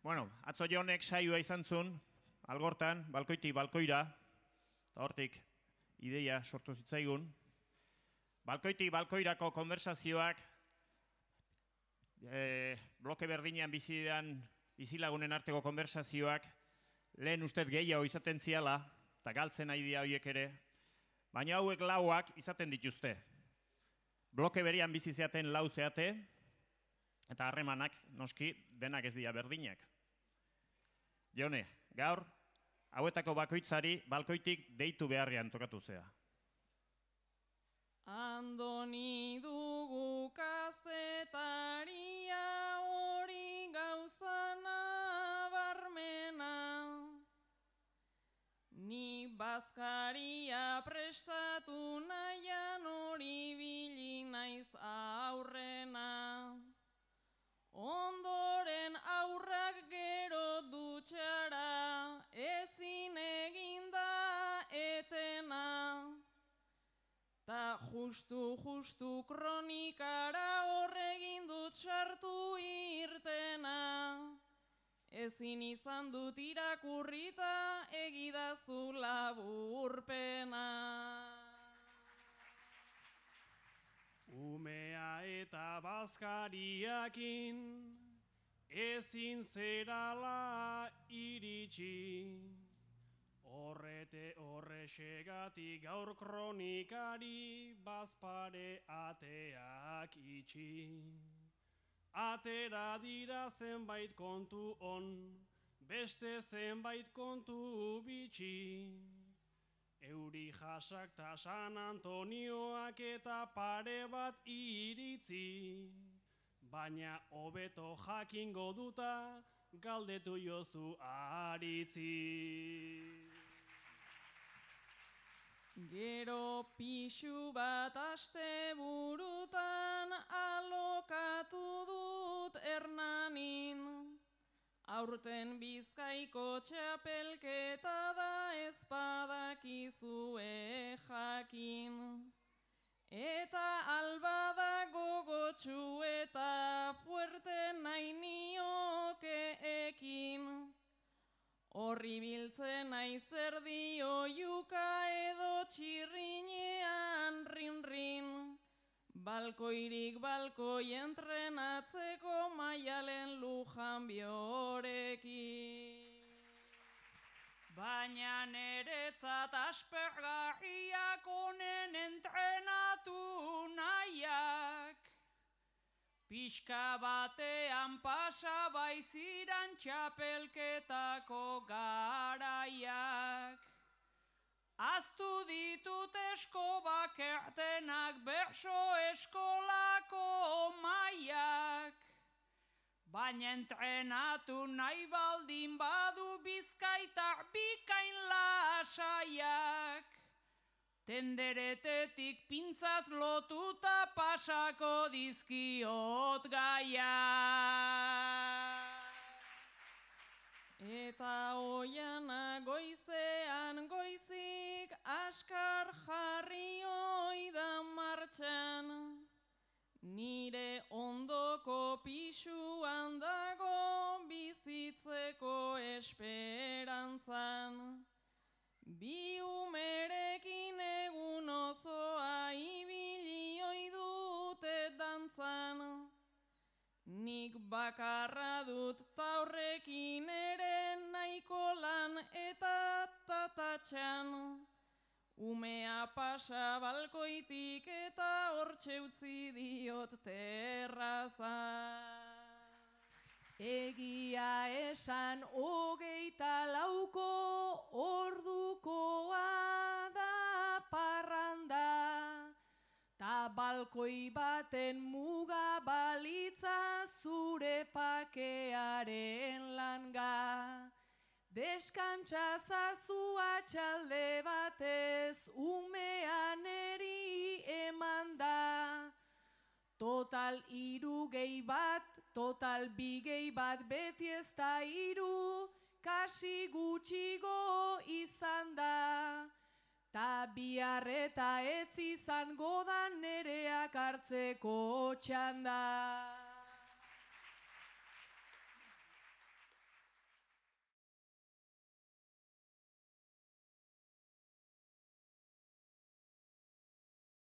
Bueno, atzo Jonek saioa izan zuen, algortan, balkoitik balkoira, eta hortik ideia sortu zitzaigun. Balkoitik balkoirako konversazioak, bloke berdinean bizilagunen arteko konversazioak, lehen ustez gehiago izaten ziala, eta galtzen nahi dira horiek ere, baina hauek lauak izaten dituzte. Bloke berian bizi zeaten lau zeate, eta harremanak, noski, denak ez dira berdinak. Jone, gaur, hauetako bakoitzari balkoitik deitu beharrean tokatu zea. Andoni dugu kazetaria hori gauzana barmena. Ni bazkaria prestatu nahian hori bili naiz aurrena. Ondoren aurrak gero dutxara, ezin eginda etena. Ta justu kronikara horregin dut sartu irtena. Ezin izan dut irakurrita egidazu laburpena. Umea eta bazkariakin ezin zerala iritsi. Horrexegatik gaur kronikari bazpare ateak itxi. Atera dira zenbait kontu on, beste zenbait kontu bitxi. Euri jasak ta San Antonioak eta pare bat iritzi, baina hobeto jakingo duta galdetu jozu aritzi. Gero pixu bat asteburutan alokatu dut Hernanin. Aurten Bizkaiko txapelketa da ezpadakizue jakin. Eta albada gogotsu eta fuerte nahi nioke ekin. Horri biltzen naiz erdi oiuka edo txirrinean rin-rin. Balkoirik balkoi entrenatzeko Maialen Lujanbiorekin. Baina neretzat aspergarriak honen entrenatu nahiak. Pixka batean pasa baiziran txapelketako garaiak. Aztu ditut eskobak ertenak berso eskolako maiak. Baina entrenatu nahi baldin badu Bizkaitar bikain lasaiak. Tenderetetik pintzaz lotuta pasako dizkiot gaiak. Eta oiana goizean goizik askar jarri oida martxan. Nire ondoko pisuan dago bizitzeko esperantzan. Bi umerekin egun osoa ibili oi dute dantzan. Nik bakarra dut taurrekin ere nahiko lan eta tatatxan. Umea pasa balkoitik eta hortxe utzi diot terraza. Egia esan 24 ordukoa da parranda. Ta balkoi baten muga balitza zure pakearen langa. Deskantzazazu atxalde batez umean eri eman da. Total 3 gehi bat, total 2 gehi bat beti ez da 3, kasi gutxigo izan da. Ta bihar eta ez izango da nereak hartzeko txanda.